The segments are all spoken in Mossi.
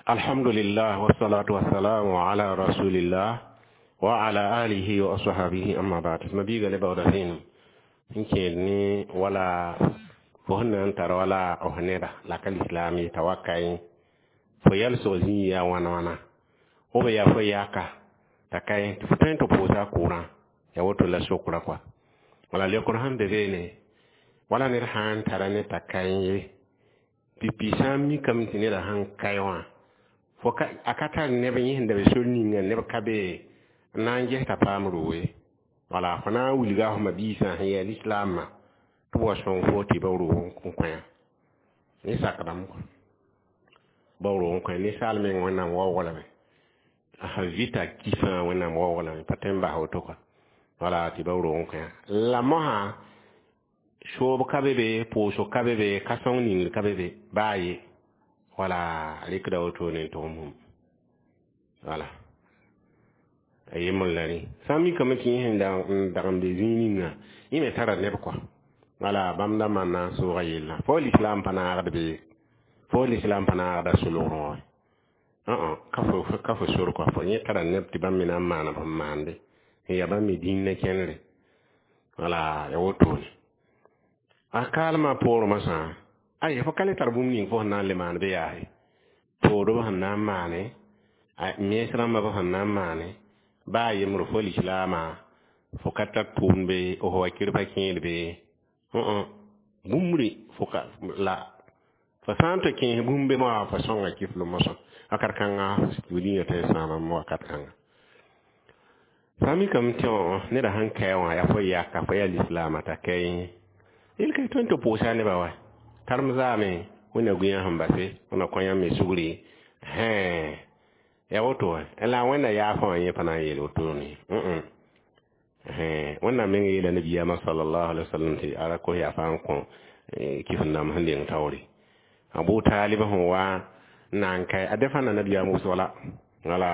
Alhamdulillah wassalatu wassalamu ala rasulillah wa ala alihi wa ashabihi, amma ba'd. Mabiiga le baooda vẽenem n kẽed ne wala fo sẽn na n tar wala f neda la ka lislaam ye t'a wa kaẽ fo yɛlsg zĩig yaa wãna wãna b yaa fo yaka t'a kaẽ tɩ fo tõe n tɩ pʋʋsa a kʋʋrã ya woto la sokra kɔa. Wala leokr sẽn be beene wala ned sã n tara ne t'a kaẽ ye pipi sã n mikame tɩ neda sẽn kae wã fo ka a ka tar neb yẽ sẽn da be sor ninga neb ka be n na n ges t'a paam roog ye. Wala fo na n wilga f ma-biisã sẽn yaa lislaamã tɩ b wa sõng fo tɩ ba roog n kõ yã ne sakdame kɔ ba roog n kõ ninsaal meng Wẽnnaam waoog lame a vɩta kifã Wẽnnaam waoog lame pa tõe n bas woto kɔa. Wala tɩ ba roog n kõ yã la mosã soob ka be be, pʋʋsg ka be be, ka-sõng ningr ka be be baa ye. Wala rɩkda wotone n tʋgem hũm wala a yembr la rẽ sã n mikame tɩ yẽ sẽn n dag n be zĩig ninga yẽ me tara neb kɔa. Wala bãmb da maan n soogã yellã fo lislaam pa naagd be, fo lislaam pa naagda solgrẽ wã ka fo sor kɔa. Fo yẽ tara neb tɩ bãmb me na n maana b sẽn maande n yaa bãmb me dĩnã kẽnere. Wala ya wotone a kaalmã poorẽ mosã ay fo ka le tar bũmb ning fo sẽn na n le maan bɩ yaase poorb sẽn na n maane mens rãmbã b sẽn na n maane baa yembr fo lislaamã fo ka tar tʋʋmd be f wakir pa kẽed be bũmbre fo ka la fo sã n tɩ kẽes bũmb be moa fo sõnga kifl mosã wakat kãnga dĩinã tõe n sãama wakat kãnga sã n mikame tɩ neda sẽn kae wã yaa fo yaka fo yaa lislaamã t'a kae yel ka tõe n tɩ pʋʋsa nebã wa karem zaame wẽnna gũyã sẽn base wẽnna kõ yãmb me sugri ya woto wa la wẽnna yaafã wã yẽ pa na n yeel wotone. Wẽnnaam meng yeela nabiyaamã sallallahu alaihi wasallam tɩ a ra kos yaafa n kõ kifẽn-dãmb sẽn leng taoore Abu Talib sẽn wa n na n kae a defãnda nabiyaam wʋsg la wala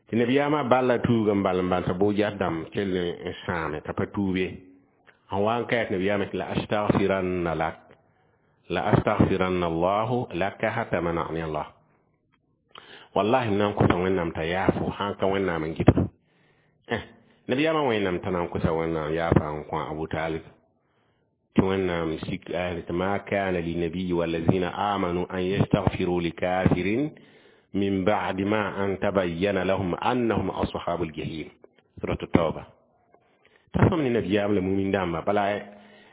tɩ nabiyaamã balla tuug n bal n bal t'a bo-jas dãmb kell n sãame t'a pa tuub ye n wa n kae tɩ nabiyaamã tɩ la astaghfiranna lak la astaghfiranna Allahu laka hatta mana'ani Allah wallahi n na n kosa Wẽnnaam t'a yaafo sã n ka Wẽnnaam n gɩdg nabiyaamã Wẽnnaam t'a na n kosa Wẽnnaam yaafa n kõ Abu Talib tɩ Wẽnnaam sik ayat tɩ ma kana linabiyi walazina amanu an yastaghfiru likafirin min ba'di ma an tabayyana lahum annahum ashabul jahim, surat tauba. T'a sõm ne nabiyaam la mumin dãmba bala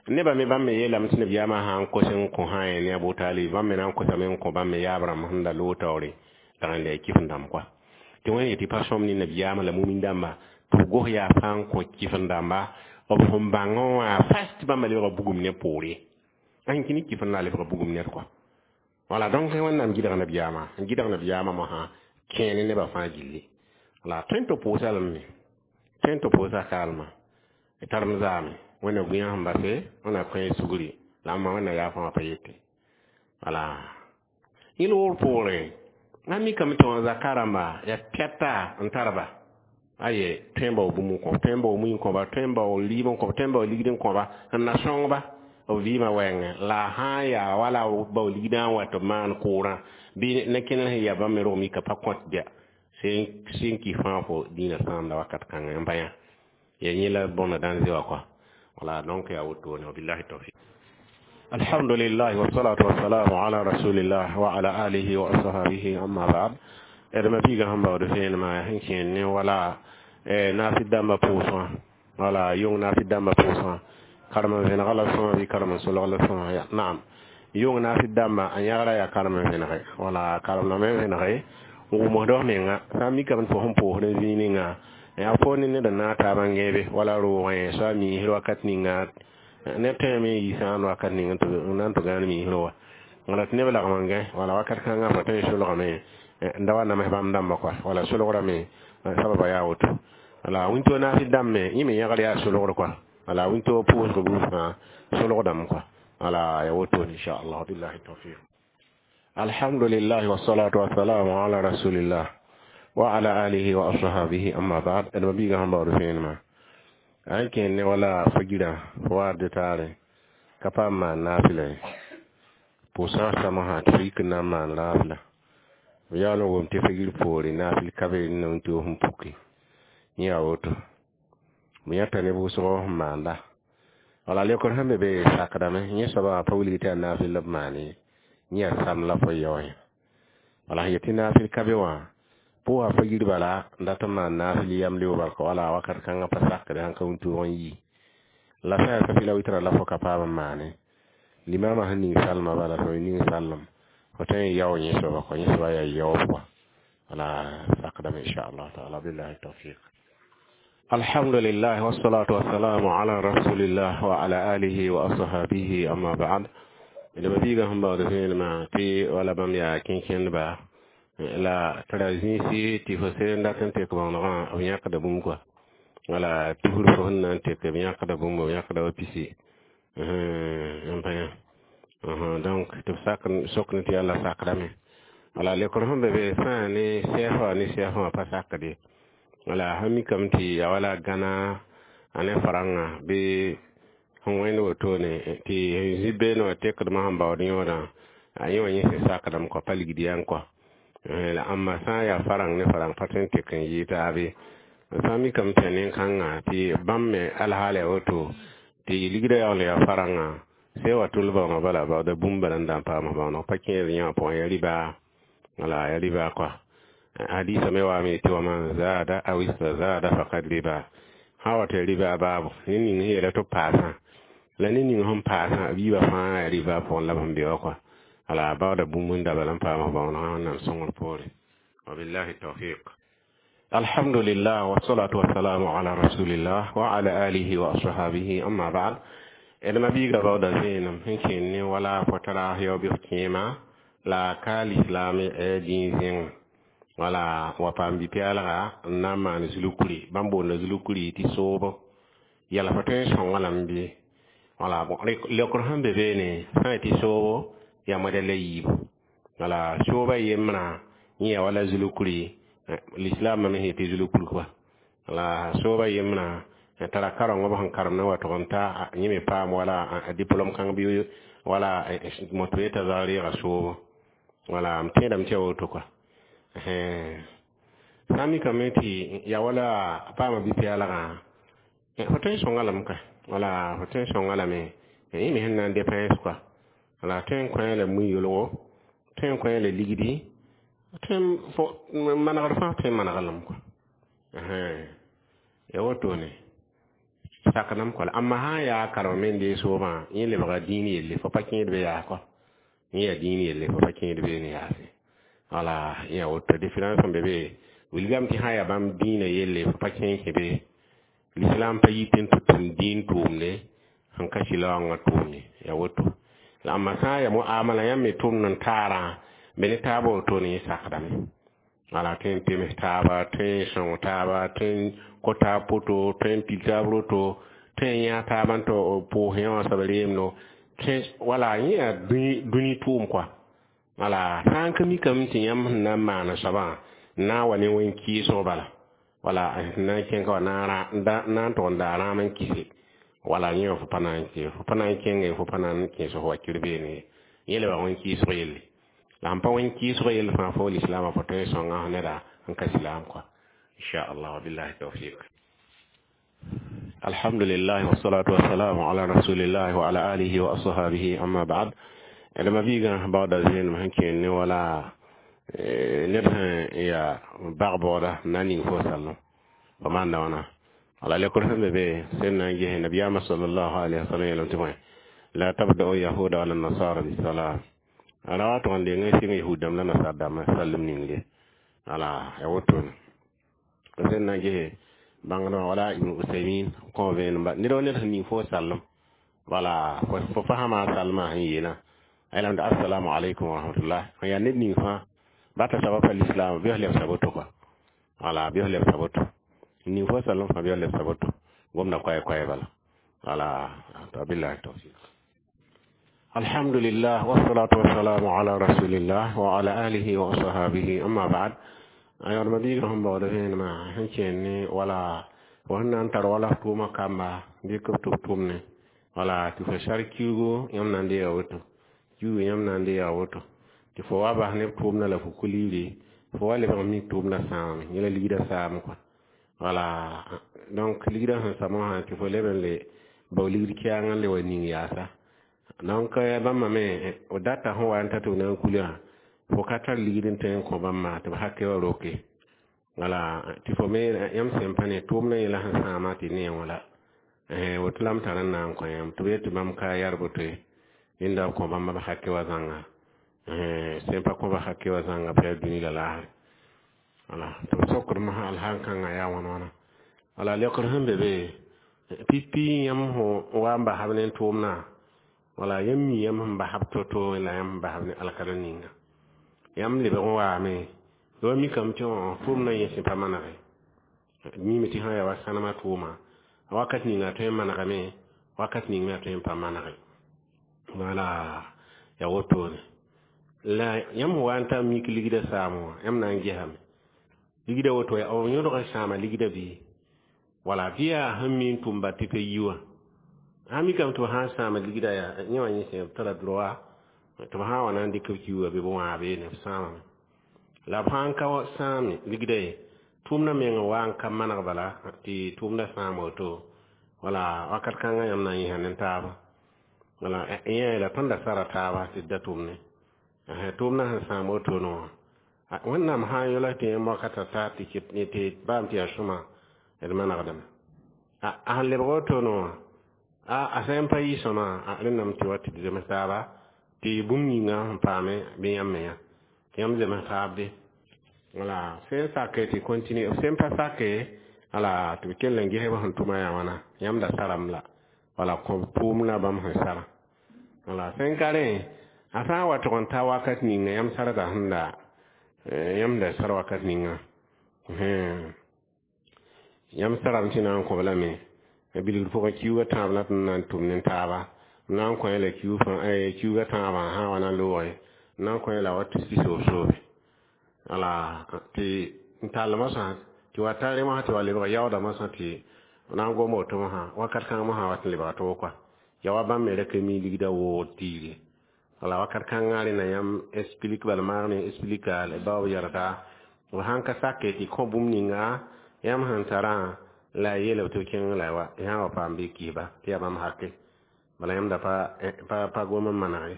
nebã me bãmb me yeelame tɩ nabiyaamã sã n kos n kõ sã ne Abu Talib bãmb me na n kosame n kõ bãmb me yaab rãmb sẽn da loog taoore dag n lɛɛ kifẽn dãmb kɔa tɩ wẽnd yetɩ pa sõm ne nabiyaamã la mumin dãmba tɩ b gos yaafa n kõ kifẽn dãmba b sẽn bãngẽ wã fas tɩ bãmba lebga bugum ne poore ãn kĩ ne kifẽn la a lebga bugum ned kɔa. Wala donc Wẽnnaam gɩdg nabiyaamã n gɩdg nabiyaamã mosã kẽene nebã fãa gilli la tõe n tɩ pʋʋsa lame tõe n tɩ pʋʋsa kaalmã tarem zaame Wẽnna gũyã sẽn base Wẽnna kõ sugri la ãmba Wẽnna yaafã wã pa yete. Wala yẽl wor poorẽ a mikame tɩ wã zaka rãmba yaa pɛta n tar ba aye tõe n bao bũmb n kõ, tõe n bao mui n kõba, tõe n bao liib n kõba, tõe n bao ligd n kõba n na sõng-ba b vɩɩmã wɛɛngẽ la sã n yaa wala bao ligdã n wa tɩ b maan kʋʋrã bɩ ne kẽner sẽn yaa bãmb me rog mika pa kõt bɩa sẽn kɩ fãa fo dĩinã sãamda wakat kãngã n bã yã ya yẽ la bõna dãn wã kɔa. Wala donc yaa wotone. Wabillahi tawfiq. Alhamdulillah wassalatu wassalamu ala rasulillah wa ala alihi wa ashabihi, amma ba'd. D mabiigã sẽn baood vẽenemã sẽn kẽed ne wala naafɩ dãmbã pʋʋsgã wala yʋng naafɩ dãmbã pʋʋsgã karem n vẽnega la sõma bɩ karem n solg la sõma ya naam yʋng naafɩ dãmbã a yãgra yaa karem n vẽnege wala karem me vẽnege n wʋmsd f menga sã n mikame tɩ fo sẽn pʋʋsd n zĩig ninga yaa fo ne ned n naag taabã n gẽebe wala roogẽ soa miisr wakat ninga neb tõeme n yi sãan wakat ning n na n tɩ gãan miisr wa wala tɩ neb lagm n gã wala wakat kãngã fo tõe n solgame n da wa nams bãmb dãmbã kɔa wala solgrame sababa yaa woto. Wala wĩnto naafɩ dãmb me yẽ me yãgr yaa solgr kɔa wala wĩnto pʋʋsg buud fãa solgdame kɔa wala ya woto inchallah. Billahi tawfiq. Alhamdulillah wassalatu wassalamu ala rasulillah wa ala alihi wa ashabihi, amma ba'd. D mabiigã sẽn baood vẽenemã an kẽed ne wala fo girã fo waad taare ka paam maan naafɩla ye pʋʋsã samsã tɩ fo yik n na n maan raafla. B yaool n wʋm tɩ figr poore naafɩl ka be n na n toog n puki. Yẽ yaa woto. B yãta ne wʋsgo sẽn maanda. Wala leokr sẽn be be sakdame, yẽ soabã wã pa wilg tɩ yaa naafɩl la b maan ye, yẽ yaa sam la fo yao yã. Wala sẽn yet tɩ naafɩl ka be wã, pʋʋsa figr bala n dat n maan naafɩl yamleoog bal wala wakat kãngã pa sakde sãn ka wĩntoog n yi. La sã yaa safɩ la wɩtra la fo ka paam n maane. Limama sẽn ning salmã bala fo ning salem, fo tõe n yao yẽ soaba kɔ, yẽ soaba yaa yaoob kɔa. Wala sakdame inshallah taala billahi tawfiq. Alhamdulillah wassalatu wassalamu ala rasulillah wa ala alihi wa ashabihi amma ba'd. D mabiigã sẽn baood vẽenemã tɩ wala bãmb yaa kẽnkẽndba la tara zĩisi tɩ fo sẽn dat n tek bõonegã b yãkda bũmb kɔa. Wala tusr fo sẽn na n tek b yãkda bũmb, b yãkda wa pisi n pa yã. Donc tɩ b sak sok ne tɩ yãlla sakdame. Wala leokr sẽn be be sã ne sɛɛsã wã ne sɛɛsã wã pa sakde. Wala sã mikame tɩ ya wala gãna a ne farãngã bɩ sẽn wẽnd wotone tɩ zĩ beene wã tekdmã sẽn baood yõodã a yẽ wã yẽ sẽn sakdame kɔa pa ligd yã kɔa. La ãmba sã n yaa farãng ne farãng pa tõe n tek n yɩɩ taabe. Sã n mikame tɩ yaa nen-kãngã tɩ bãmb me alhaal yaa woto tɩ ligdã yaool yaa farãngã sẽn wa tʋl baoongã bala baooda bũmb bala n da n paam bãooneg pa kẽed yã wã pʋgẽ yaa rɩba, wala yaa rɩba kɔa. Hadisa me waame tɩ wa man zaada aw istazada faqad riba. Sã wa tɩ rɩba baabo ne ning sẽn yeela tɩ b paasã la ne ning sẽn paasã b yiibã fãa yaa rɩba pʋgẽ la b sẽn be wã kɔa. Wala baooda bũmb n da bala n paam bãoonegã Wẽnnaam sõngr poore. Wabillahi tawfiq. Alhamdulillah wassalatu wassalamu ala rasulillah wa ala alihi wa ashabihi amma ba'd. D mabiiga baooda vẽenem sẽn kẽnd ne wala fo tara yaoog f kẽema la ka lislaam dĩin zẽngẽ. Wala wa paam bi-pɛɛlga n na n maan zulkuri, bãmb boonda zulkuri tɩ soobo. Yɛla fo tõe n sõnga lame bɩ? Wala leokr sẽn be beene sã n tɩ soobo yaa modɛl la yiibu. Wala soobã yembrã yẽ yaa wala zulkuri, lislaamã me sẽn yetɩ zulkuri kɔa. Wala soobã yembrã tara karengã b sẽn karem na wa tʋg n ta yẽ me paam wala a diplôme kãng bɩ wala moto yetã zag reega soobo. Wala m tẽedame tɩ yaa woto kɔa. Sã n mikame tɩ yaa wala paama bi-pɛɛlgã, fo tõe n sõnga lame ka. Wala fo tõe n sõnga lame yẽ me sẽn na n dépens kɔa. Wala tõe n kõ la mui-yolgo, tõe n kõ la ligdi, tõe n manegd fãa tõe n manega lame kɔa. Yaa wotone sakdame kɔa. La ãmba sã n yaa karem me n deeg soobã, yẽ lebga dĩin yelle, fo pa kẽed be yaa kɔa. Yẽ yaa dĩin yelle, fo pa kẽed beene yaase. Wala yẽ yaa woto différence sẽn be be wilgame tɩ sã n yaa bãmb dĩinã yelle fo pa kẽ n kẽ be. L'islam pa yit n tɩ tʋm dĩin tʋʋmde sẽn ka sɩlaoongã tʋʋm ye, yaa woto. La ãmba sã n yaa muamala yãmb me tʋmd n taarã be ne taabã wotone yẽ sakdame. Wala tõe n pems taaba, tõe n sõng taaba, tõe n kõ taab poto, tõe n pil taab roto, tõe n yã taab n tɩ pʋʋs yã wã soab reemdo, wala yẽ yaa dũni tʋʋm kɔa. Wala sã n ka mikame tɩ yãmb sẽn na n maan soabã n na n wa ne wẽn-kɩɩsg bala, wala sẽn na n kẽng ka wã na n tʋg n daa rãam n kɩse, wala yẽ wã fo pa na n kẽ, fo pa na n kẽnge, fo pa na n kẽes fo wakir beene ye. Yẽ lebga wẽn-kɩɩsg yelle. La sẽn pa wẽn-kɩɩsg yell fãa fo lislaamã fo tõe n sõnga neda n ka silaam kɔa. Inshallah wabillahi tawfiq. Alhamdulillah wassalatu wassalamu ala rasulillah wa ala alihi wa ashabihi amma ba'd. D mabiigã baooda vẽenem sẽn kẽend ne wala ned sẽn yaa bag-baooda n na n ning fo sallem fo maanda wãna. Wala leokr sẽn be be sẽn na n ges nabiyaamã sallallahu alaihi wasallam yeelame tɩ bõe la tabda'u yahuda wala nasara bisalam. Ala wa tʋg n deng n sɩng yahud dãmb la nasar dãmbã sallem ningre. Wala yaa wotone sẽn na n ges bãngdmã wala Ibn Usaymin kõ vẽenem ned wa ned sẽn ning fo sallem, wala fo fasama salmã sẽn yeelã a yeelame tɩ assalamu alaikum wa rahmatullah. Sẽn yaa ned ning fãa bata soaba pa lislaam bɩ f lebsa woto kɔa. Wala bɩ f lebsa woto ning fo sallem fãa bɩ f lebsa woto gomda koɛɛ-koɛɛ bala. Wala billahi tawfiq. Alhamdulillah wassalatu wassalamu ala rasulillah wa ala alihi wa ashabihi amma ba'd. Ayod mabiigã sẽn baooda vẽenemã sẽn kẽend ne wala fo sẽn na n tar wala f tʋʋmã kamba dɩk b tɩ b tʋmne, wala tɩ fo sar kiugo yãmb na n deega woto, kiugo yãmb na n deega woto. Tɩ fo wa bas neb tʋʋmdã la fo kulibre, fo wa lebg n mik tʋʋmdã sãamame, yẽ la ligdã saam kɔa. Wala donc ligdã sẽn samã wã tɩ fo leb n le bao ligd kɛɛng n le wa ning yaasa. Donc bãmba me data sẽn wa n ta tɩ b na n kulã, fo ka tar ligd n tõe n kõ bãmba tɩ b hake wã roke. Wala tɩ fo me yãmb sẽn pa ne tʋʋmdã yẽla sẽn sãama tɩ ne wã la. Woto la m tar n na n kõ yãmb tɩ b yet tɩ bãmb ka yar boto ye, rẽnda b kõ bãmba b hake wã zãnga. Sẽn pa kõ b hake wã zãnga pa yaa dũni la laasre. Wala tɩ b sokd mosã alhaal kãngã yaa wãn wãna. Wala leokr sẽn be be pipi yãmb sẽn wa n basb ne tʋʋmdã, wala yãmb mi yãmb sẽn basb to-to la yãmb sẽn basb ne alkal ninga. Yãmb lebg n waame wa mikame tɩ tʋʋmdã yẽ sẽn pa manege. Mime tɩ sã yaa wa sãnemã tʋʋma, wakat ninga a tõe n manegame, wakat ning me a tõe n pa manege. Wala yaa wotone. La yãmb sẽn wa n ta mik ligdã saam wã, yãmb na n gesame. Ligdã woto yaa b yõdg n sãama ligdã bɩ? Wala bɩ yaa sẽn mi n tʋm ba tɩ pa yi wã. Sã mikame tɩ b sã n sãama ligdã yaa yẽ wã yẽ sẽn b tara droit tɩ b sã n wa na n dɩk b kiuugã bɩ b wãabe ne b sãamame. La b sã n ka sãame ligdã ye, tʋʋmdã meng n wa n ka maneg bala tɩ tʋʋmdã sãam woto. Wala wakat kãngã yãmb na n yĩsa ne taaba. Wala yẽ la tõnd da sara taaba tɩ d da tʋmne. Tʋʋmdã sẽn sãam wotone wã, Wẽnnaam sã n yola tɩ yãmb wakata ta tɩ baam tɩ yaa sõma d manegdame. A sẽn lebg wotone wã, a sã n pa yɩ sõma, rẽndame tɩ wa tɩ d zems taaba tɩ bũmb ninga sẽn paame bɩ yãmb me yã. Tɩ yãmb zems taabde. Wala sẽn sake tɩ continue, sẽn pa sake, wala tɩ b kell n ges b sẽn tʋma yaa wãna, yãmb da saram la. Wala kõ tʋʋmdã bãmb sẽn sara. Wala sẽn ka rẽ, a sã n wa tʋg n ta wakat ninga yãmb sarga sẽn da yãmb da sar wakat ninga. Yãmb sarame tɩ na n kõ b lame. Bilgr pʋgẽ kiuugã tãab la tɩ na n tʋm ne taaba. B na n kõ la kiuugã tãabã sã n wa na n looge, n na n kõ la wa tɩ soob-soobe. Wala tɩ n tall mosã tɩ wa tar rẽ mosã tɩ wa lebg yaoodã mosã tɩ na n gom woto mosã, wakat kãng mosã wat n lebga toog kɔa. Yaa wa bãmb me ra ka mi ligdã woogd tiige. Wala wakat kãngã rẽnna yãmb explique bala maag ne explica la baoob yɛlga. B sãn ka sake tɩ kõ bũmb ninga yãmb sẽn tarã la a yeela b tɩ b kẽng la wa yã wa paam bɩ kɩɩsba tɩ yaa bãmb hake. Bala yãmb da pa gom n maneg ye.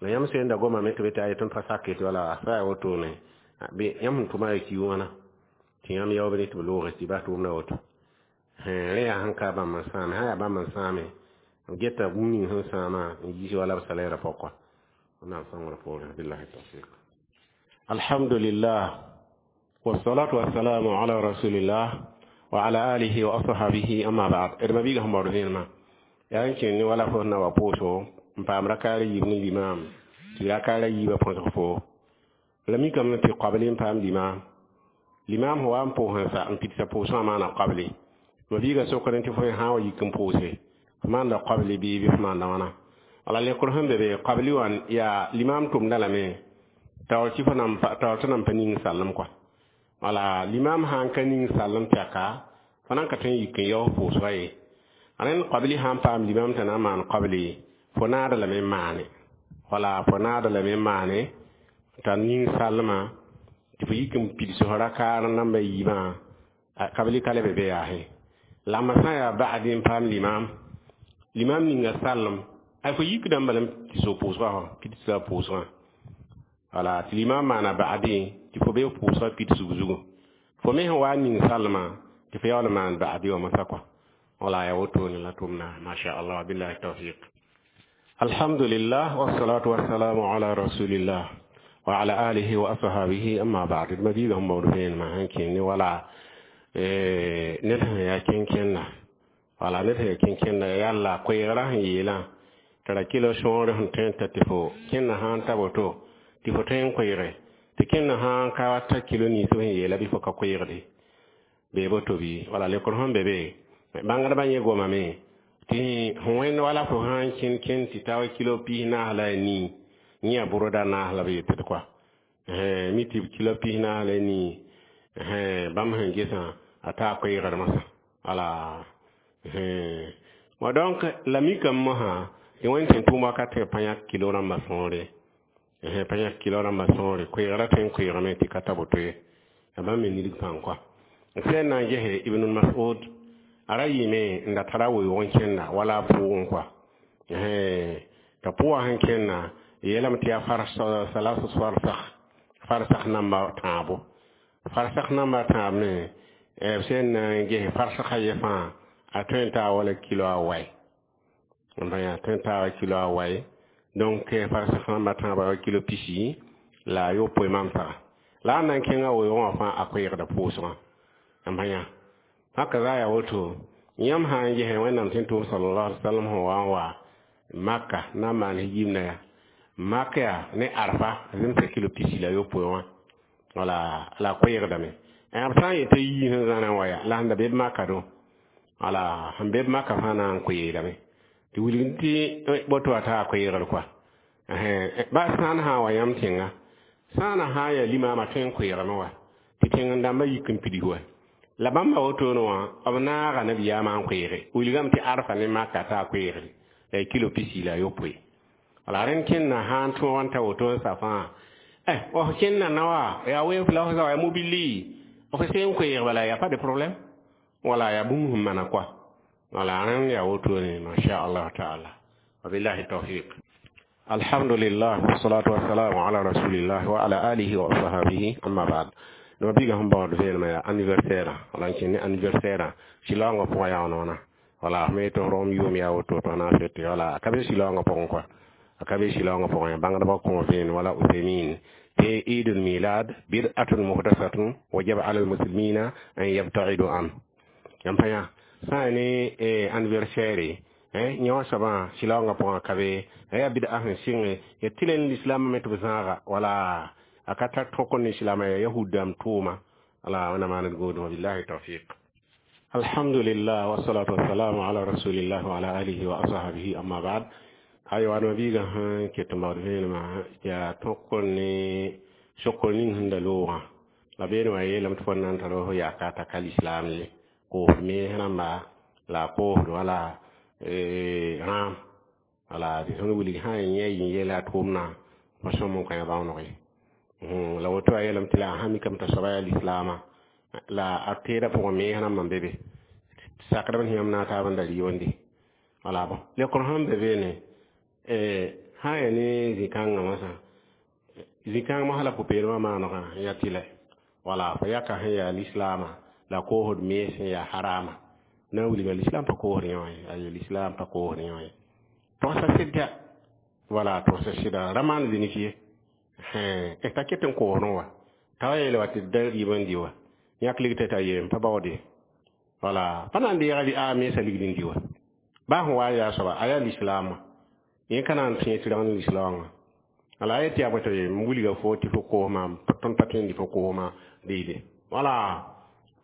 La yãmb sẽn da gomame tɩ b tɩ a tõnd pa sake tɩ wala a sa yaa wotone, bɩ yãmb sẽn tʋma yaa kiug wãna tɩ yãmb yaoobd tɩ b looge tɩ bas tʋʋmdã woto. Rẽ yaa sẽn ka bãmb n sãame, sã yaa bãmb n sãame, b geta bũmb ning sẽn sãama n yiis wala b salaire pɔkɔ. Wẽnnaam sõngr poorẽ. Billahi tawfiq. Alhamdulillah wassalatu wassalamu ala rasulillah wa ala alihi wa ashabihi, amma ba'd. D ma-biigã sẽn baood vẽenemã yaa n kẽng ne wala fo sẽn na wa pʋʋso n paam rakaar yiib ne limaam tɩ rakaar a yiibã põsg fo. La mikame tɩ qabli n paam limaam. Limaam sẽn wa n pʋʋs n sa n pidsa pʋʋsgã maana qabli. Ma-biigã sokdẽ tɩ fo sã n wa yik n pʋʋse, f maanda qabli bɩ f maanda wãna? Wala lekr sẽn be be qabli wã yaa limaam tʋmda lame taoor tɩ fo taoor tɩ nan pa ning sallem kɔa. Wala limaam sã n ka ning sallem tɛka, fo nan ka tõe n yik n yaoos pʋʋsgã ye. Rẽnd qabli sã n paam limaam tɩ na n maan qabli, fo naada lame n maane. Wala fo naada lame n maane t'a ning sallmã tɩ fo yik n pids f rakaar namba yiibã, qabli ka le be be yaase. La ma sã n yaa ba'di n paam limaam, limaam ninga sallem, ay fo yikdame bala tɩ so pʋʋsgã fo pidsa pʋʋsgã. Wala tɩ limaam maana ba'di tɩ fo be pʋʋsgã pidsg zugu. Fo me sẽn wa n ning sallmã tɩ fo yaool n maan ba'di wã mosã kɔa. Wala yaa wotone la tʋmda, masha Allah, billahi tawfiq. Alhamdulillah wassalatu wassalamu ala rasulillah wa ala alihi wa ashabihi, amma ba'd. D ma-biigã sẽn baood vẽenemã sẽn kẽng ne wala ned sẽn yaa kẽn-kẽnda. Wala ned sẽn yaa kẽn-kẽnda yalla koeegrã sẽn yeelã t'a ra kɩla sõor sẽn tõe n ta tɩ fo kẽnda sã n ta woto tɩ fo tõe n koeege, tɩ kẽnda sã n ka ta kilo nins b sẽn yeela bɩ fo ka koeegde bee boto bɩ. Wala lekr sẽn be be bãngdbã yẽ gomame tɩ wẽnd wala fo sã n kẽnd kẽnd tɩ ta wa kilo 40 la a nii, yẽ yaa bʋrda naas la b yetd kɔa. Mi tɩ kilo 40 la a nii, bãmb sẽn gesã a taa koeegr mosã. Wala wa donc la mikame mosã tɩ wẽnd sẽn tʋʋm wakat pa yãk kilo rãmbã sõore. Pa yãk kilo rãmbã sõore koeegrã tõe n koeegame tɩ ka ta boto ye la bãmb me nidg pãng kɔa sẽn na n gese Ibn Mas'ud a ra yɩɩme n da tara weoog n kẽnda wala a pʋʋgẽ kɔa t'a pʋgã sẽn kẽnda yeelame tɩ yaa salasu farsakh farsakh namba tãabo farsakh namba tãab me b sẽn na n ges farsakha ye fãa a tõe n taa wala kilo a wae a tõe n taa kilo a wae donc farsakh namba tãaba wa kilo pisi la a yopoe mamsga la a na n kẽnga weoogã wã fãa a koeegda pʋʋsgã n pa yã haka za yaa woto yãmb sã n ges Wẽnnaam tɩ tʋʋm sallallahu alaihi wasallam sẽn wa n wa Maka na n maan yimna yaa Maka yaa ne Arfa zemsa kilo pisi la yopoe wã wala la koeegdame b sã n yetɩ yii sẽn zãna n wa ya la sẽn da be b maka dõ wala sẽn be b maka fãa na n koeedame tɩ wilg tɩ boto wa taa koeegr kɔa ba sãn sã n wa yãmb tẽnga sãana sã n yaa limaamã tõe n koeegame wa tɩ tẽng dãmbã yik n pids wa la bãmba wotone wã b naaga nabiyaamã n koeege wilgame tɩ Arfa ne Maka taa koeegre la kilo pisi la yopoe wala rẽnd kẽnna sã n tõog n ta woto n sa fãa f kẽnna nawa yaa weef la f zawa mobili f sẽn koeeg bala ya pas de problème wala ya bũmb sẽn mana kɔa wala rẽnd yaa wotone masha Allah taala wabillahi tawfiq. Alhamdulillah wassalatu wassalamu ala rasulillah wa ala alihi wa ashabihi amma ba'd. No biga sẽn baood vẽenemã yaa anniversaire wala n kẽn ne anniversaire sɩlaoongã pʋgã yaa noona wala me tɩ rõom yʋʋm yaa woto tɩ na n fete wala a ka be sɩlaoongã pʋgẽ kɔa a ka be sɩlaoongã pʋgẽ bãngdbã kõ vẽen wala Uthaymin tɩ Eid al-Milad bid'atun muhdathatun wajaba ala al-muslimina an yabta'idu an yãmb pa yã sã n ne anniversaire yẽ wã soabã sɩlaoongã pʋgã ka be yaa bid'a sẽn sɩnge ya tɩ la lislaambã me tɩ b zãaga wala a ka tar tõk ne islaamã yaa yahud dãmb tʋʋma wala wẽnnaam maan d goodẽ wabillahi tawfiq. Alhamdulillah wassalatu wassalamu ala rasulillah wa ala alihi wa ashabihi amma ba'd. Aywa no biiga sẽn ket n baood vẽenemã yaa tõk ne sokr ning sẽn da loogã la beene wã yeelame tɩ fo na n tar f yaka t'a ka lislaam ye koosd mees rãmba la a koosd wala rãam wala tɩ tõnd wilg sã n yẽ yɩ yɛla a tʋʋmdã pa sõm n kõ yã bãonog ye la woto a yeelame tɩ la a sã mikame t'a soaba yaa lislaamã la a teedã pʋgẽ mees rãmbã n be be sakdb sẽn yãmb na n taab n da rɩ wala bõ lekr sẽn be beene sã n yaa ne zĩ-kãngã masã zĩ-kãng mosã la pʋ-peelmã maanegã n yaa tɩlɛ wala fo yaka sẽn yaa lislaamã la koosd mees sẽn yaa harama na n wilga lislaam pa koosd yẽ wã ye aye lislaam pa koosd yẽ wã ye togsa sɩda wala togsa sɩda ra maan zĩnig ye t'a ket n koosdẽ wa t'a wa yeele wa tɩ da rɩɩb n dɩ wa yãk ligta t'a yee n pa baoode wala pa na n deega bɩ a meesã ligd n dɩ wa baa sẽn wa n yaa soaba a yaa lislaamã yẽ ka na n tõe tɩ rag ne lislaoongã wala a yet yaa bõe tɩ m wilga fo tɩ fo koos maam tõnd pa tõe n dɩ fo koosmã deede wala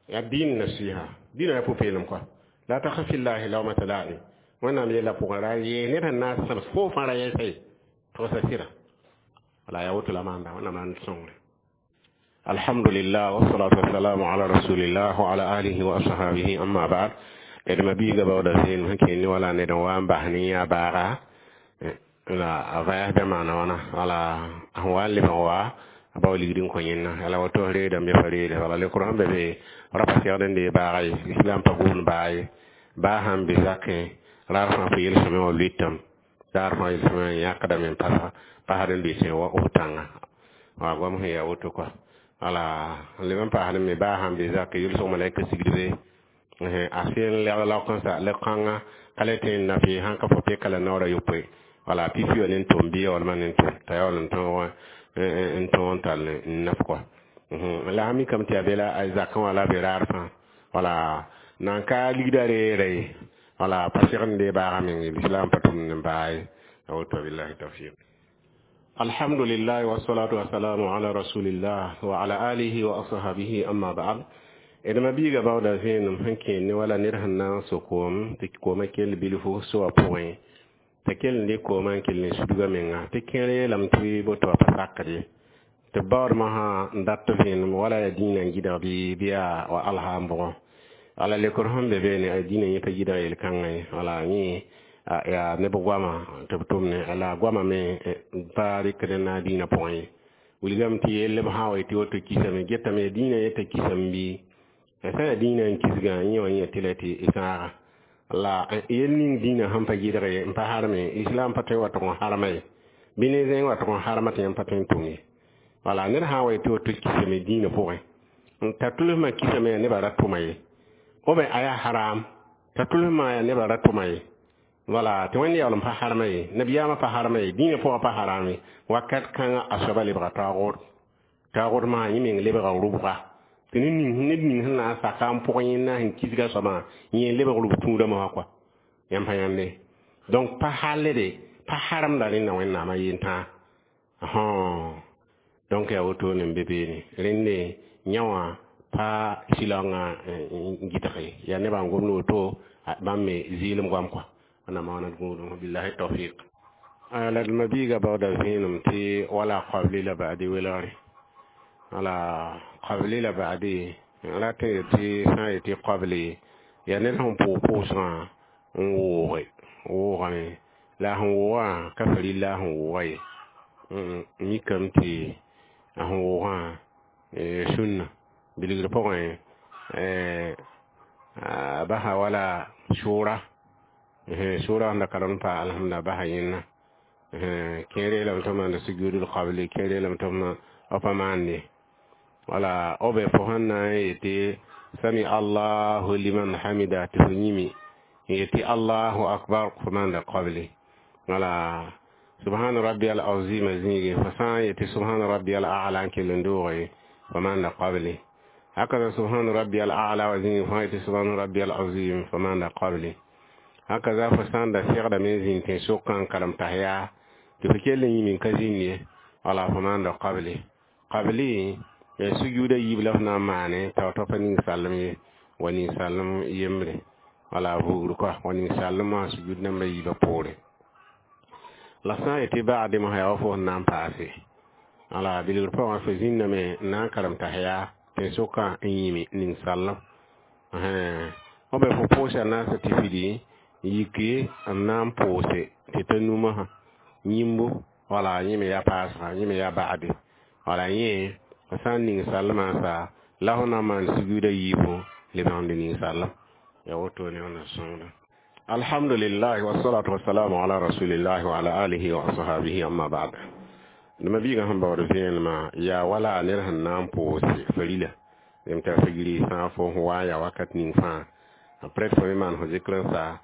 yaa dĩin nasiha dĩinã yaa pʋ-peelem kɔa la takhaf fillahi lawmata la'im Wẽnnaam yeela pʋgẽ ra yee ned sẽn na n sãbs fo fãa ra yɛsa ye togsa sɩda wala yaa woto la maanda Wẽnnaam maan d sõngre. Alhamdulillah wassalatu wassalamu ala rasulillah wa ala alihi wa ashabihi amma ba'd. D mabiiga baooda vẽenem sẽn kẽnd ne wala ned n wa n bas ne yã baaga la a vayasdã maana wãna wala a sẽn wa n lebg wa a bao ligd n kõ yẽnna la woto reedame pa reede wala lekr sẽn be be ra pa segd n dee baaga ye islam pa gʋʋn baa ye baa sãn be zakẽ raar fãa fo yel-sõmẽ wã luitame daar fãa yel-sõmẽ wã yãkdame n pasd n lʋɩsẽ wa f tãnga wa goam sẽn yaa woto kɔa wala n leb n paasd me baa sãn be zakẽ yʋlsg malaika sigdbe a sẽn lɛg laok n sa lɛg-kãngã ka le tõe n na fɩ sãn ka fo peka la naoor a yopoe wala pipi wã ne n tʋm bɩ yaoolmã ne n tʋm t'a yaool n tõog n tõog n tall n naf kɔa la sã mikame tɩ yaa be la a zakẽ wã la be raar fãa wala nan ka ligda reera ye wala pa segd n dee baaga meng ye lislaam pa tʋmd n baa ye a woto billahi tawfiq. Alhamdulillah wassalatu wassalamu ala rasulillah wa ala alihi wa ashabihi amma ba'd. D mabiiga baooda vẽenem sẽn kẽend ne wala ned sẽn na n so koom tɩ koomã kell bilfu soa pʋgẽ t'a kell n dɩk koomã n kell n sudga menga tɩ kẽer yeelame tɩ boto wa pa sakd ye tɩ b baoodmã sã n dat vẽenem wala yaa dĩinã n gɩdg bɩ yaa wa alha n bʋgẽ wala lekr sẽn be beene a dĩinã yẽ pa gɩdg yel-kãngã ye wala yẽ Yaa neb goama tɩ b tʋmne la goama me pa rɩkd n na dĩinã pʋgẽ ye. Wilgame tɩ yell b sã n wa yetɩ woto kisame, getame dĩinã yeta kisame bɩ sã yaa dĩinã n kisgã, yẽ wã yẽ tɩ la tɩ sãaga la yel ning dĩinã sẽn pa gɩdge n pa harme. Islam pa tõe n wa tʋg n harma ye, bɩ ne zẽng wa tʋg n harma tɩ yãmb pa tõe n tʋm ye. Wala ned sã n wa yetɩ woto kisame dĩinã pʋgẽ t'a tʋlsmã kisame, yaa nebã ra tʋma ye, b a yaa haram t'a tʋlsmã yaa nebã ra tʋma ye. Wala tɩ Wẽnd yaool n pa harma ye, nabiyaamã pa harma ye, dĩinã pʋgã pa haram ye. Wakat kãngã a soaba lebga taoogd, taoogd maa yẽ meng lebga rʋbga tɩ ned ning sẽn na n saka n pʋg yẽnda sẽn kisga soabã, yẽ lebg rʋb tũudã mosã kɔa. Yãmb pa yãnde, donc pa hallde pa haramda rẽnda Wẽnnaamã yentã. Donc yaa wotone n be beene. Rẽnde yã wã pa silaongã n gɩdge yaa nebã n gomd woto, bãmb me zɩɩlem goam kɔa. Wẽnnaam maana d gũudum. Billahi tawfiq. La d mabiiga baooda vẽenem tɩ wala qabli la ba'di welgre, wala qabli la ba'di rat n yetɩ sã n yetɩ qabli yaa ned sẽn pʋʋg pʋʋsgã n wooge woogame la a sẽn woogã ka farilla a sẽn wooga ye. Mikame tɩ a sẽn woogã sũnna bilgr pʋgẽ a basa wala sʋʋra, sʋʋra sẽn da karem pa alhamda basa yẽnna. Kẽer yeelame tɩ b maanda sujudul qabli, kẽer yeelame tɩ b pa maande. Wala b fo sẽn na n yetɩ sami Allahu liman hamida tɩ fo yĩme n yetɩ Allahu akbar, fo maanda qabli. Wala subhana rabbi al azim zĩige, fo sã n yetɩ subhana rabbi al a'la n kell n dooge, fo maanda qabli. Hakaza subhana rabbi al a'la wa zĩige, fo sã yetɩ subhana rabbi al azim, fo maanda qabli. Hakaza fo sã n da segdame n zĩnd tẽn-sokã n karem tahiya tɩ fo kell n yĩm n ka zĩnd ye, wala fo maanda qabli. Qabli sujuuda yiib la f na n maane t'a pa ning-sallem ye, wa ning-sallem yembre, wala vugr kɔa, wa ning-sallem wã sujud nambã yiibã poore. La sã n yetɩ ba'ade mosã yaa wa fo sẽn na n paase, wala bilgr pʋgã fo zĩndame n na n karem tahiya tẽn-sokã n yĩme ning-sallem b fo pʋʋsa naasa tɩ fidi yiki n na n pʋʋse tɩ ta numã yĩmbo. Wala yẽ me yaa paasga, yẽ me yaa ba'ade. Wala yẽ f sã n ning sallmã sa la fo na n maan sujuuda yiibu lebgende ning-sallem. Yaa wotone wẽnna sõngda. Alhamdulillah, wassalatu wassalamu ala rasulillahi wa ala alihi wa ashabihi, amma ba'd. D mabiigã sẽn baood vẽenemã yaa wala ned sẽn na n pʋʋse farila m tara figri sã fo wa yaa wakat ning fãa, après fo me maan fo zikr n sa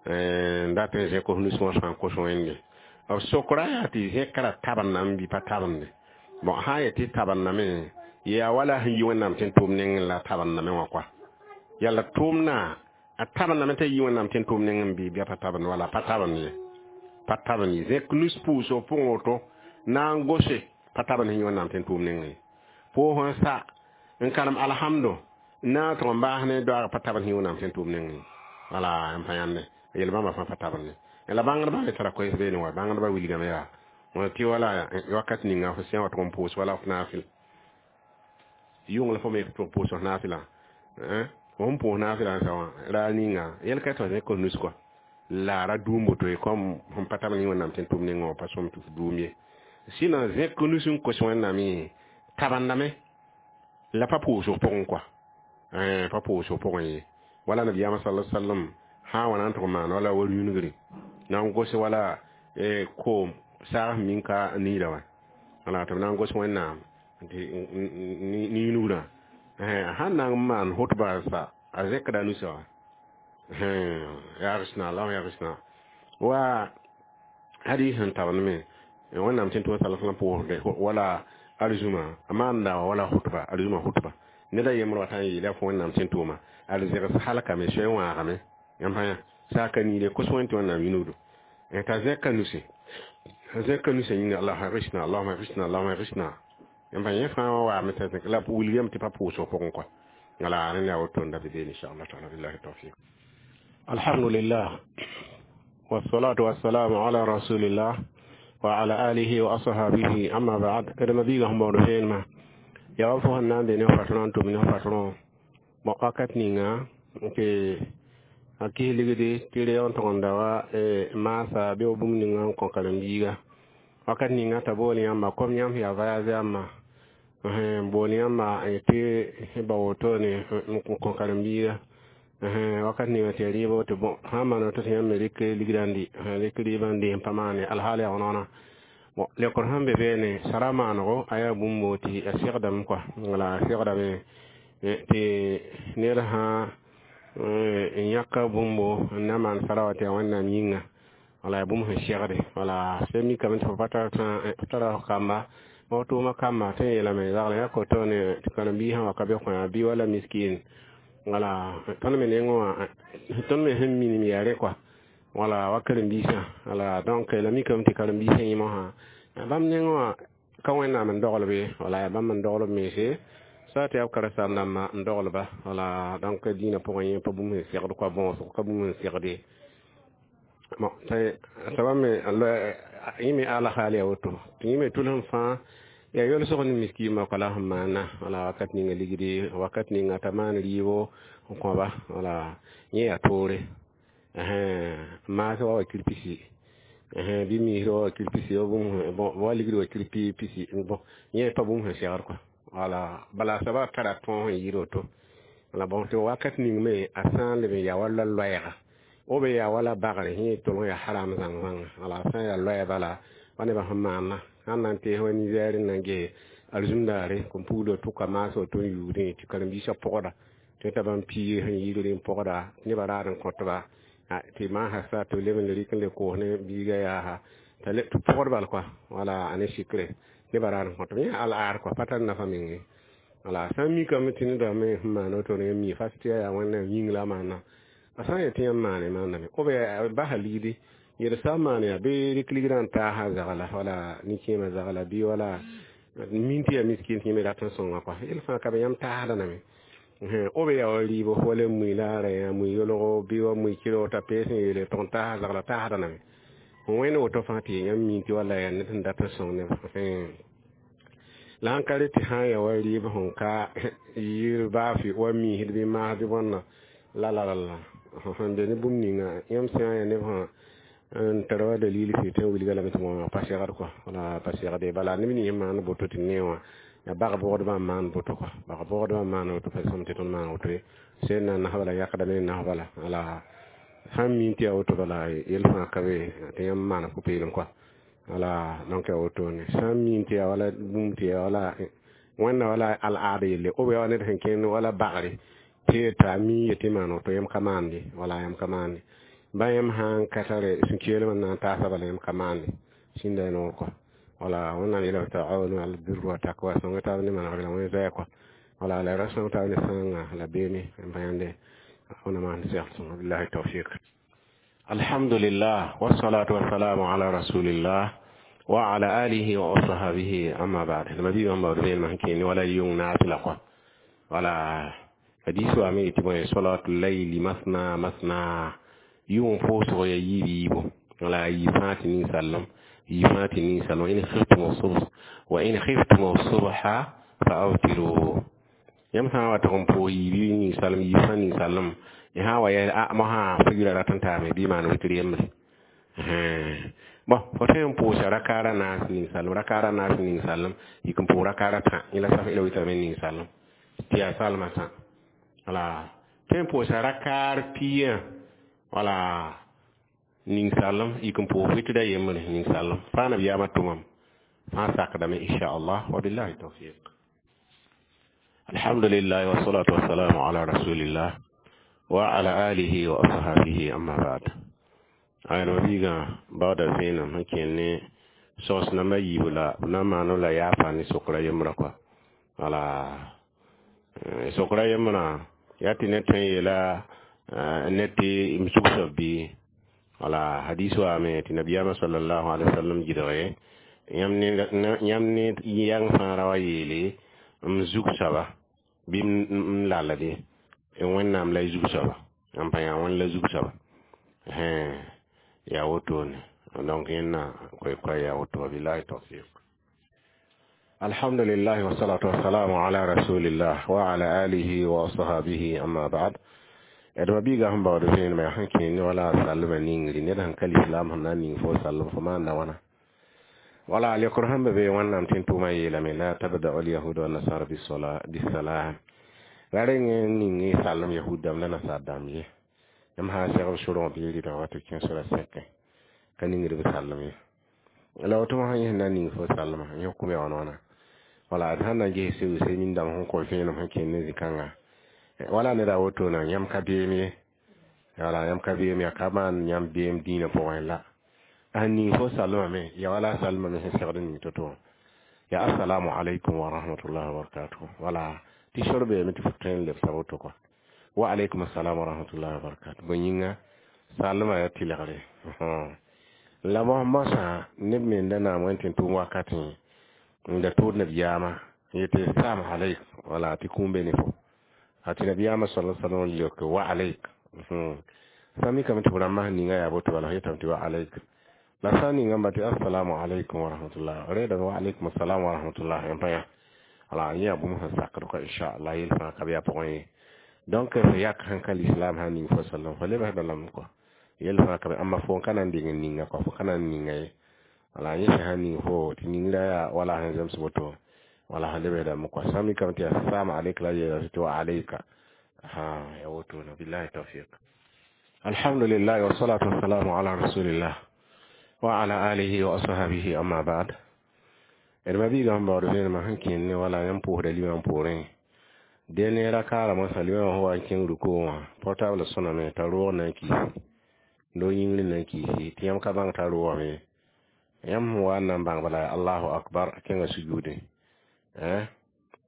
n dat n zẽk f nus wã sã n kos Wẽnde. B sokra yaa tɩ zẽkra tabendame bɩ pa tabende? Bon, sã n yetɩ tabendame, yaa wala sẽn yi Wẽnnaam tɩ n tʋʋm nengẽ la tabendame wã kɔa. Yalla tʋʋmdã a tabendame t'a yi Wẽnnaam tɩ n tʋʋm nengẽ bɩ pa tabend? Wala pa tabend ye, pa tabend ye. Zẽk nus pʋʋsg pʋgẽ woto na n gose pa tabend sẽn yi Wẽnnaam tɩ n tʋʋm nengẽ ye. Pʋʋs n sa n karem alhamdo n na n tʋg n baas ne doaag pa tabend sẽn yi Wẽnnaam tɩ n tʋʋm nengẽ ye. Wala n pa yãnde yel bãmba fãa pa tabend ye. La bãngdbã me tara koɛɛs beene wa bãngdbã wilgame yaa tɩ wala wakat ninga fo sẽn wa tʋg n pʋʋs wala f naafɩl yʋng la fo me tʋg pʋʋs f naafɩlã, fo sẽn pʋʋs naafɩlã n sa wã raar ninga yɛl ka tɩ zẽk f nus kɔa la ra duum woto ye, comme sẽn pa tabend yẽ Wẽnnaam tɩ n tʋm nengẽ wã pa sõm tɩ f duum ye. Sɩnã zẽk nus n kos Wẽnnaam ye tabendame la pa pʋʋsg pʋgẽ kɔa, pa pʋʋsg pʋgẽ ye. Wala nabiyaamã sala sallam sã n wa na n tʋg n maan wala wa-rũinigre na n gos wala koom saag sẽn min ka niida wã, wala tɩ b na n gos Wẽnnaam tɩ ninugrã sãn na n maan hʋtba sa a zẽkda nusa wã yagsna Allah yagsna wa hadis sẽn tabend me Wẽnnaam tɩ n tʋma sala sallam pʋʋsde wala arzuma a maanda wala hʋtba arzuma hʋtba ned a yembr wa tã n yeela fo Wẽnnaam tɩ n tʋʋma arzegs halkame soe n wãagame. Yãmb pa yã saaka niile kos wẽn tɩ Wẽnnaam yĩnugdo t'a zẽka nuse, a zẽka nuse yĩnga Allah aghithna, Allahuma aghithna, Allahuma aghithna. Yãmb pa yẽ fãa wã waame t'a zẽk la wilgame tɩ pa pʋʋsg pʋgẽ kɔa. Wala rẽnd yaa woto n da be beene, inchallah taala. Billahi tawfiq. Alhamdulillah, wassalatu wassalamu ala rasulillah wa ala alihi wa ashabihi, amma ba'd. D mabiigã sẽn baood vẽenemã yaa wa fo sẽn na n be ne fatõrã n tʋm ne fatõrã. Bon, wakat ninga tɩ A kis ligdi tɩ reoog n tʋg n da wa maasa bɩ bũmb ninga n kõ karen-biiga wakat ninga t'a bool yãmba kom yãmb yaa voyage yãmba n bool yãmba tɩ ba wotone n kõ karen-biiga wakat ninga tɩ ya rɩɩb tɩ bõ sã n maan woto tɩ yãmb me rɩk ligrã n dɩ rɩk rɩɩbã n dɩ n pa maane alhaal yaa wãna bon lekor sẽn be beene sara maanego a yaa bũmbo tɩ a segdame kɔa wala a segdame tɩ ned sã n yãka bũmbo n na maan sara wa tɩ yaa Wẽnnaam yĩnga wala yaa bũmb sẽn segde wala sẽn mikame tɩ fo pa tara f kamba wa tʋʋma kamba tɩ n yeelame zagl yã koto ne tɩ karen-biisã wa ka be kõ bɩ wala miskin wala tõnd me nengẽ wã tõnd me sẽn minim yaa rẽ kɔa wala wa karen-biisã wala donc la mikame tɩ karen-biisã yẽ mosã bãmb nengẽ wã ka Wẽnnaam n dogl be wala yaa bãmb n dogl b mense sa tɩ yaa b karen-saam-dãmbã n doglba wala donc dĩinã pʋgẽ yẽ pa bũmb sẽn segd kɔa bõosg ka bũmb sẽn segd ye bon t'a me yẽ me alhaal yaa woto tɩ yẽ me tʋlsem fãa yaa yolsg ne miskiimã kɔ la sẽn maana wala wakat ninga ligdi wakat ninga t'a maan rɩɩbo n kõba wala yẽ yaa toore maas wa wakir pisi bɩ miisr wa wakir pisi bon wa ligd wakir pisi bon yẽ pa bũmb sẽn segd kɔa wala bala soaba tara tõog sẽn yɩɩd woto wala bon tɩ wakat ning me a sã n leb n yaa wa loɛɛga o be yaa wala bagre yẽ tʋlg yaa haram zãng zãnga wala a sã n yaa loɛɛ bala wa nebã sẽn maana sãn na n tees wa Niger n na n ges alizumdaare kom puglo tʋka maas woto n yuudẽ tɩ karen-biisã pʋgda tɩ t'a bãmb piig sẽn yɩɩd n pʋgda nebã raad n kõtba tɩ maasa sa tɩ b leb n le rɩk n le koos ne biiga yaasa tɩ pʋgd bal kɔa wala a ne sikre nebã raad n kõtb yẽ al-aad kɔa pa tar nafa meng ye wala sã n mikame tɩ neda me sẽn maan woto ne mi fas tɩ yaa Wẽnnaam yĩng la a maana a sã n yetɩ yãmb maane maaname b basa ligdi yel sã n maan yaa bɩ rɩk ligrã n taasa zagla wala nin-kẽemã zagla bɩ wala min tɩ yaa miskin tɩ yẽ me rat n sõnga kɔa yel fãa ka be yãmb taasda name b yaa wa rɩɩbo wala mui la ra yã mui yolgo bɩ wa mui kɩrg t'a pees n yeele tʋg n taasa zagla taasda name wẽnd woto fãa tɩ yãmb min tɩ wala yaa ned sẽn dat n sõng neb la sãn ka re tɩ sã n yaa wa rɩɩb sẽn ka yɩɩr baafɩ wa miisd bɩ maas bɩ bõnna la la la la sẽn be ne bũmb ninga yãmb sã n yaa neb sẽn tar wa dalil fɩ tɩ n wilga lame tɩ wã pa segd kɔa wala pa segde bala neb nins maan boto tɩ ne wã yaa bag-bʋgdbã n maan boto kɔa bag-bʋgdbã n maan woto pa sõm tɩ tõnd maan woto ye sẽn na nasb la yakdame nasba la wala sãn min tɩ yaa woto bala yel fãa ka be tɩ yãmb maana pʋ-peelem kɔa wala donc yaa wotone sã n min tɩ yaa wala bũmb tɩ yaa wala Wẽnna wala al-aad yelle b yaa wa ned sẽn kẽnd wala bagre tɩ t'a mi yetɩ maan woto yãmb ka maande wala yãmb ka maande ba yãmb sã n ka tare sũ-keelmã n na n taasa bala yãmb ka maande sĩnda ya noor kɔa wala Wẽnnaam yeelame taawanu ala birri wa taqwa sõnga taab ne manegr la wẽ zoɛɛ kɔa wala la ra sõng taab ne sãnga la beene n pa yãnde wẽnna maan segl sõnga billahi tawfiq. Alhamdulillah wassalatu wassalamu ala rasulillah wa ala alihi wa ashabihi amma ba'd. Ma bi bãmb baood vẽenemã sẽn kẽene wala yʋng naasla kɔa wala hadis wa me tɩ bõe salatul layli masna masna yʋng pʋʋsg ya yiib yiibo wala yiib fãa tɩ ninsaalem yiib fãa tɩ ninsaalem in khiftum subh wa in khiftum subha fa awtiru yãmb sã n wa tʋg n pʋʋs yiib ninsaalem yiib fãa ninsaalem y sã n wa yɛl a mosã fo rat n taame bɩ maan witr yembre bon fo tõe n pʋʋsa rakaara naas ninsaalem rakaara naas ninsaalem yik n pʋʋg rakaara tã yẽ la saf la witrame ninsaalem tɩ yaa salmã tã wala tõe n pʋʋsa rakaar pia wala ninsaalem yik n pʋʋs witra yembre ninsaalem fãa nabiyaamã tʋmam fãa sakdame inchallah wa billahi tawfiq. Alhamdulillah wassalatu wassalamu ala rasulillah wa ala alihi wa ashabihi amma ba'd. Ayã biigã baooda vẽenem sẽn kẽnd ne sogs namba yiibu la b na n maan la yaafa ne sokra yembrã kɔa wala sokra yembrã yaa tɩ ned tõe n yeela ned tɩ m sug soab bɩ wala hadis waame tɩ nabiyaamã sallallahu alaihi wasallam gɩdge yãmb ne yãng fãa ra wa yeele m zug soaba bɩ m lalde Wẽnnaam la y zug soaba n pa yaa Wẽnd la zug soaba yaa wotone donc yẽnna koɛ-koɛ yaa woto billahi tawfiq. Alhamdulillah wassalatu wassalamu ala rasulillah wa ala alihi wa ashabihi amma ba'd. D ma-biigã sẽn baood vẽenemã yaa sẽn kẽ ne wala a salmã ningri ned sẽn ka lislaam sẽn na n ning fo salm fo maanda wãna. Wala lekr sẽn be be Wẽnnaam tɩ n tʋʋmã yeelame la tabda'u lyahuda wannasara bisalam ra reng n ning y salem yahud dãmb la nasar dãmb ye. Yãmb sã n segb sorgã bɩ y rɩta wa tɩ kẽ sora sẽkẽ ka ningd b salem ye. La woto sã yẽ sẽn na n ning fo salmã yẽ hukm yaa wãna wãna. Wala d sãn na n ges sɩbse nin-dãmb sẽn kõ vẽenem sẽn kẽnd ne zĩ-kãnga wala neda wotona yãmb ka beem ye. Wala yãmb ka beem yaa ka maan yãmb beem dĩinã pʋgẽ la. A ning fo salmame ya wala salmame sẽn segd n ning to-to ya assalamu alaikum wa rahmatullahi wa barakatuh. Wala tɩ sor beeme tɩ fo tõe n lebsa woto kɔa. Wa alaikum assalam wa rahmatullahi wa barakatuh. Bõe yĩnga salmã yaa tɩlgre. La mosã neb me n da naam wẽn tɩ n tʋʋm wakatẽ n da tʋʋd nabiyaamã yetɩ salam alaik wala tɩ kũum be ne fo. A tɩ nabiyaamã sala salam leoke wa alaik. Sã mikame tɩ f rãmbã sẽn ninga yaa boto bala f yetame tɩ wa alaik. La sã n ningã tɩ assalamu alaikum wa rahmatullah reedame wa alaikum assalam wa rahmatullah yãmb pa yã. Wala yẽ yaa bũmb sẽn sakd kɔa inchallah yel fãa ka be yaa pʋgẽ ye. Donc f yak sẽn ka lislaam sã n ning fo sallam fo lebsda lame kɔa. Yel fãa ka be amma fo n ka na n deng n ninga kɔa fo ka na n ninga ye. Wala yẽ sẽn ning fo tɩ ningrã yaa wala sẽn zems woto wala sẽn lebsdame kɔa. Sã n mikame tɩ assalamu aleyk la yeela tɩ wa aleyka. Ha ya wotona billahi tawfiq. Alhamdulillah wa salatu wassalamu ala rasulillah wa ala alihi wa ashabihi amma ba'd. D ma-biigã sẽn baood vẽenemã sẽn kẽnd ne wala yãmb pʋʋsda limam poorẽ dẽ ne ra kaarã mosã limamã sẽn wa n kẽng rukoo wã portable sõname t'a roog na n kiisi doo yĩngr na n kiisi tɩ yãmb ka bãng t'a roogame. Yãmb sẽn wa n na n bãng bala allahu akbar kẽnga sujuudẽ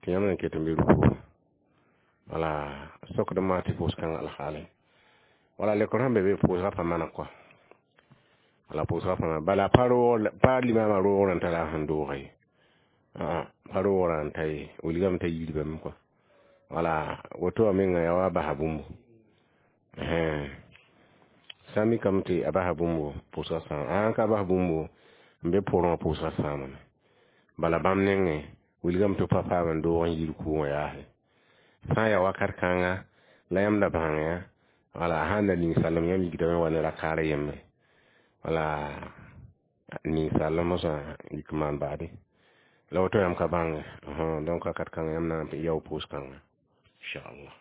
tɩ yãmb na n ket n be rukoo. Wala sokd n maa tɩ pʋʋs-kãngã alhaale. Wala lekr sẽn be be pʋʋsgã pa maneg kɔa. Wala pʋʋsgã pa maneg bala pa roog pa limamã roogrã n tara a sẽn doogã ye. Pa roogrã n ta ye wilgame t'a yiribame kɔa. Wala woto wã menga yaa wa basa bũmbu. Sã n mikame tɩ a basa bũmbu pʋʋsgã sãam a ka bas bũmbu n be pʋrẽ wã pʋʋsgã sãamame. Bala bãmb nengẽ wilgame tɩ pa paam n doog n yi rukuu wã yaase. Sã n yaa wakat kãnga la yãmb da bãngẽ wala sã n da ning salem yãmb yikdame wa ne rakaar yembre. Wala ning salem mosã yik n maan baade. La woto yãmb ka bãnge donc wakat kãngã yãmb na n yao pʋʋs-kãnga inchallah.